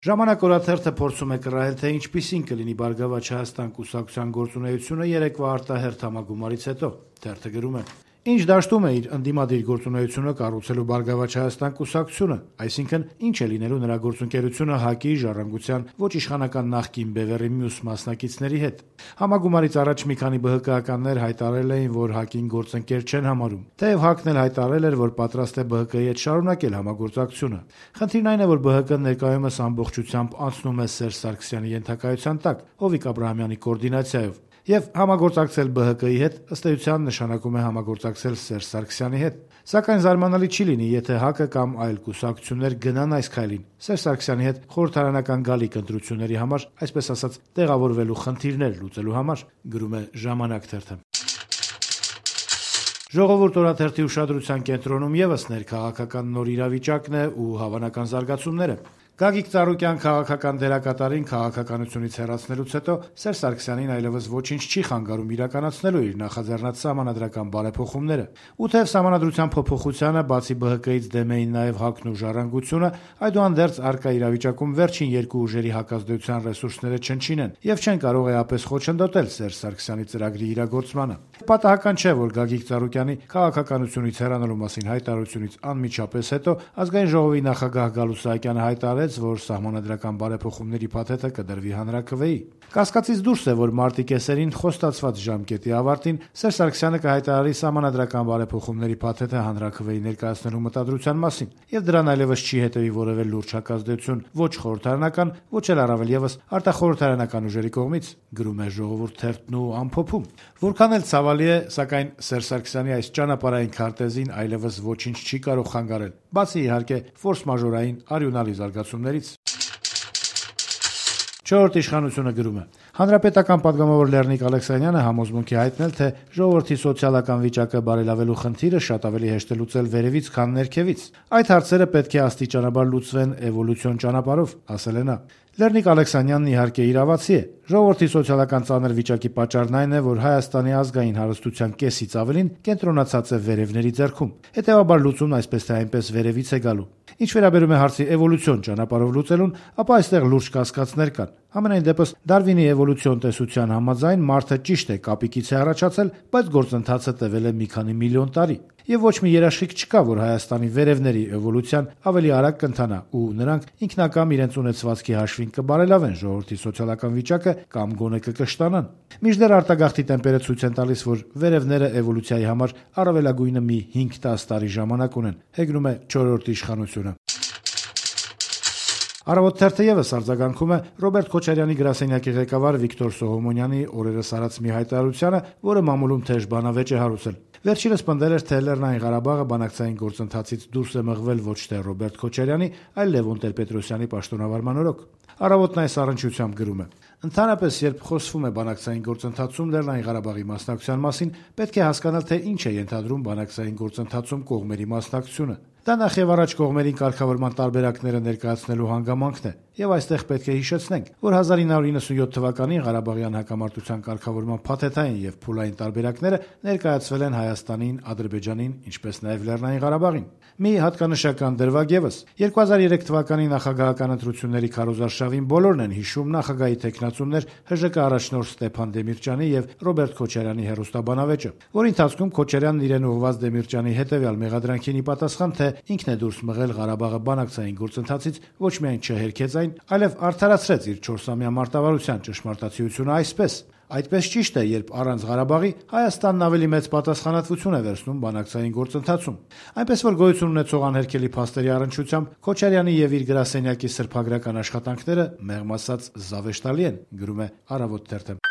Ժամանակ օրաթերթը փորձում է կռահել, թե ինչպիսին կլինի Բարգավաճ Հայաստան կուսակցության գործունեությունը երեկվա արտահերթ համագումարից հետո։ Թերթը գրում է. Ինչ դաշտում է իր ընդդիմադիր գործունեությունը կառուցելու Բարգավաճ Հայաստան կուսակցությունը, այսինքն ինչ է լինելու նրա գործընկերությունը ՀԱԿ-ի, Ժառանգության, ոչ իշխանական նախկին Բևեռի մյուս մասնակիցների հետ։ Համագումարից առաջ մի քանի ԲՀԿ-ականներ հայտարարել էին, որ ՀԱԿ-ին գործընկեր չեն համարում, թեև ՀԱԿ-ն էլ հայտարարել էր, որ պատրաստ է ԲՀԿ-ի հետ շարունակել համագործակցությունը։ Խնդիրն այն է, որ ԲՀԿ-ն ներկայումս ամբողջությամբ անցնում է Սերժ Սարգսյանի ենթակայության տակ, Հովիկ Աբրահամյանի կոորդինացիայով։ Եվ համագործակցել ԲՀԿ-ի հետ ըստ էության նշանակում է համագործակցել Սերժ Սարգսյանի հետ։ Սակայն զարմանալի չի լինի, եթե ՀԱԿ-ը կամ այլ կուսակցություններ գնան այս քայլին Սերժ Սարգսյանի հետ խորհրդարանական գալիք ընտրությունների համար, այսպես ասած, տեղավորվելու խնդիրներ լուծելու համար, գրում է Ժամանակ թերթը։ Ժողովուրդ օրաթերթի ուշադրության կենտրոնում եւս ներքաղաքական նոր իրավիճակն է ու հավանական զարգացումները։ Գագիկ Ծառուկյան քաղաքական դերակատարին քաղաքականությունից հեռացնելուց հետո Սերժ Սարգսյանին այլևս ոչինչ չի խանգարում իրականացնելու իր նախաձեռնած սահմանադրական բարեփոխումները։ Ու թեև սահմանադրության փոփոխությանը բացի ԲՀԿ-ից դեմ էին նաև ՀԱԿ-ն ու Ժառանգությունը, այդուհանդերձ առկա իրավիճակում վերջին երկու ուժերի հակազդեցության ռեսուրսները չնչին են եւ չեն կարող էապես խոչընդոտել Սերժ Սարգսյանի ծրագրի իրագործմանը։ Պատահական չէ, որ Գագիկ Ծառուկյանի քաղաքականությունից հեռանալու մասին հայտարարությունից անմիջապես հետո Ազգային ժողովի նախագահ Գալուստ Սահակյանը հայտարարեց, որ սահմանադրական բարեփոխումների փաթեթը կդրվի հանրաքվեի։ Կասկածից դուրս է, որ մարտի կեսերին խոստացված ժամկետի ավարտին Սերժ Սարգսյանը կհայտարարի սահմանադրական բարեփոխումների փաթեթը հանրաքվեի ներկայացնելու մտադրության մասին, եւ դրան այլևս չի հետեւի որևէ լուրջ հակազդեցություն ոչ խորհրդարանական, ոչ էլ առավել եւս արտախորհրդարանական ուժերի կողմից, գրում է Ժողովուրդ թերթն ու ամփոփում։ Որքան էլ ցավալի է, սակայն Սերժ Սարգսյանի այս ճանապարհային քարտեզին այլևս ոչինչ չի կարող խանգարել, բացի իհարկե ֆորս-մաժորային արյունալի զարգացումներից։ Չորրորդ իշխանությունը գրում է. Հանրապետական պատգամավոր Լեռնիկ Ալեքսանյանը համոզմունք է հայտնել, թե ժողովրդի սոցիալական վիճակը բարելավելու խնդիրը շատ ավելի հեշտ է լուծել վերևից, քան ներքևից։ Այդ հարցերը պետք է աստիճանաբար լուծվեն էվոլյուցիոն ճանապարհով, ասել է նա։ Լեռնիկ Ալեքսանյանն իհարկե իրավացի է։ Ժողովրդի սոցիալական ծանր վիճակի պատճառն այն է, որ Հայաստանի ազգային հարստության կեսից ավելին կենտրոնացած է վերևների ձեռքում։ Հետևաբար լուծումն այսպես թե այնպես վերևից է գալու։ Ինչ վերաբերում է հարցի էվոլյուցիոն ճանապարհով լուծելուն, ապա այստեղ լուրջ կասկածներ կան։ Համենայն դեպս Դարվինի էվոլյուցիոն տեսության համաձայն մարդը ճիշտ է կապիկից է առաջացել, բայց գործընթացը տևել է մի քանի միլիոն տարի։ Եվ ոչ մի երաշխիք չկա, որ Հայաստանի վերևների էվոլյուցիան ավելի արագ կընթանա ու նրանք ինքնակամ իրենց ունեցվածքի հաշվին կբարելավեն ժողովրդի սոցիալական վիճակը կամ գոնե կկշտանան։ Մինչդեռ արտագաղթի տեմպերը ցույց են տալիս, որ վերևները էվոլյուցիայի համար առավելագույնը մի 5-10 տարի ժամանակ ունեն, հեգնում է չորրորդ իշխանությունը։ Առավոտ թերթը եւս արձագանքում է Ռոբերտ Քոչարյանի գրասենյակի ղեկավար Վիկտոր Սողոմոնյանի օրերս արած մի հայտարարությանը, որը մամուլում թեժ բանավեճ է հարուցել։ Վերջինս պնդել էր, թե Լեռնային Ղարաբաղը բանակցային գործընթացից դուրս է մղվել ոչ թե Ռոբերտ Քոչարյանի, այլ Լևոն Տեր-Պետրոսյանի պաշտոնավարման օրոք։ Առավոտն այս առնչությամբ գրում է. Ընդհանրապես, երբ խոսվում է բանակցային գործընթացում Լեռնային Ղարաբաղի մասնակցության մասին, պետք է հասկանալ, թե ինչ է ենթադրում բանակցային գործընթացում կողմերի մասնակցությունը։ Դա նախևառաջ կողմերին կարգավորման տարբերակները ներկայացնելու հանգամանքն է, եւ այստեղ պետք է հիշեցնենք, որ 1997 թվականին Ղարաբաղյան հակամարտության կարգավորման փաթեթային եւ փուլային տարբերակները ներկայացվել են Հայաստանին, Ադրբեջանին, ինչպես նաեւ Լեռնային Ղարաբաղին։ Մի հատկանշական դրվագ եւս 2003 թվականի նախագահական ընտրությունների քարոզարշավին բոլորն են հիշում նախագահի տեխնացումներ ՀԺԿ առաջնորդ Ստեփան Դեմիրճյանի եւ Ռոբերտ Քոչարյանի հեռուստաբանավեճը, որի ընթացքում Քոչարյանն իրեն ուղղված Դեմիրճյանի հետեւյալ մեղադրանքին ի պատասխան, թե ինքն է դուրս մղել Ղարաբաղը բանակցային գործընթացից, ոչ միայն չհերքեց այն, այլև արդարացրեց իր 4-ամյա մարտավարության ճշմարտացիությունը այսպես. այդպես ճիշտ է, երբ առանց Ղարաբաղի Հայաստանն ավելի մեծ պատասխանատվություն է վերցնում բանակցային գործընթացում։ Այնպես որ գոյություն ունեցող անհերքելի փաստերի առնչությամբ Քոչարյանի եւ իր գրասենյակի սրբագրական աշխատանքները մեղմ ասած զավեշտալի են, գրում է Առավոտ թերթը։